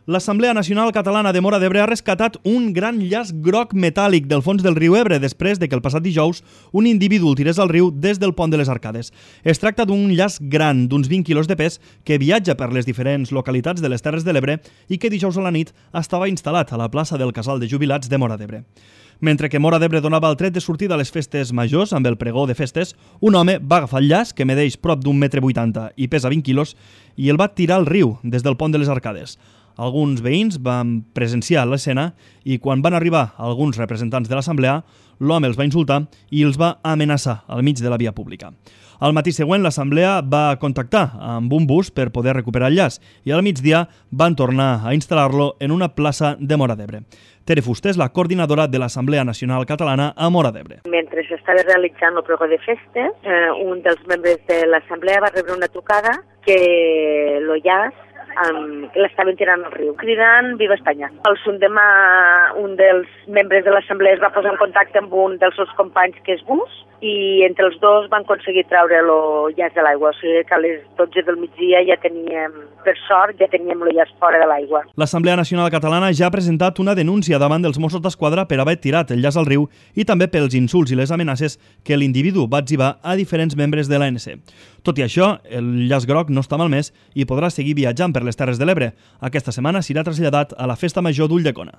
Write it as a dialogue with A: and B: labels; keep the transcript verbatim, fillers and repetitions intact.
A: L'Assemblea Nacional Catalana de Móra d'Ebre ha rescatat un gran llaç groc metàl·lic del fons del riu Ebre després de que el passat dijous un individu el tirés al riu des del pont de les Arcades. Es tracta d'un llaç gran d'uns vint quilos de pes que viatja per les diferents localitats de les Terres de l'Ebre i que dijous a la nit estava instal·lat a la plaça del Casal de Jubilats de Móra d'Ebre. Mentre que Móra d'Ebre donava el tret de sortida a les festes majors amb el pregó de festes, un home va agafar el llaç, que medeix prop d'un metre vuitanta i pesa vint quilos, i el va tirar al riu des del pont de les Arcades. Alguns veïns van presenciar l'escena i quan van arribar alguns representants de l'assemblea, l'home els va insultar i els va amenaçar al mig de la via pública. Al matí següent, l'assemblea va contactar amb un bus per poder recuperar el llaç i al migdia van tornar a instal·lar-lo en una plaça de Móra d'Ebre. Tere Fuster és la coordinadora de l'Assemblea Nacional Catalana a Móra d'Ebre.
B: Mentre s'estava realitzant el pregó de festes, eh, un dels membres de l'assemblea va rebre una trucada que el llaç Um, l'estaven tirant al riu, cridant Viva Espanya. El sundemà, un dels membres de l'assemblea es va posar en contacte amb un dels seus companys que és bus i entre els dos van aconseguir treure el llaç de l'aigua. O sigui que a les dotze del migdia ja teníem, per sort, ja teníem el llaç fora de l'aigua.
A: L'Assemblea Nacional Catalana ja ha presentat una denúncia davant dels Mossos d'Esquadra per haver tirat el llaç al riu i també pels insults i les amenaces que l'individu va etzibar a diferents membres de l'A N C. Tot i això, el llaç groc no està malmès i podrà seguir viatjant per les Terres de l'Ebre. Aquesta setmana serà traslladat a la Festa Major d'Ulldecona.